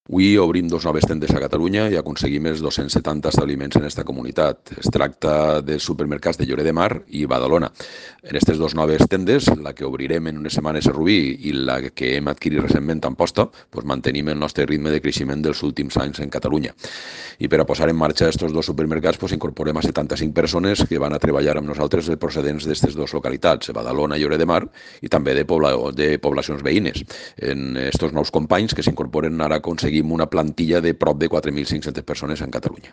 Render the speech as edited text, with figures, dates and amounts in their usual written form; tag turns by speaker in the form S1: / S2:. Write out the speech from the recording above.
S1: Avui obrim dos noves tendes a Catalunya i aconseguim els 270 establiments en aquesta comunitat. Es tracta dels supermercats de Lloret de Mar i Badalona. En aquestes dues noves tendes, la que obrirem en unes setmanes a Rubí i la que hem adquirit recentment a Amposta, mantenim el nostre ritme de creixement dels últims anys en Catalunya. I per a posar en marxa aquests dos supermercats incorporem a 75 persones que van a treballar amb nosaltres procedents d'aquestes dues localitats, Badalona i Lloret de Mar, i també de poblacions veïnes. En aquests nous companys que s'incorporen ara aconseguim una plantilla de prop de 4.500 persones en Catalunya.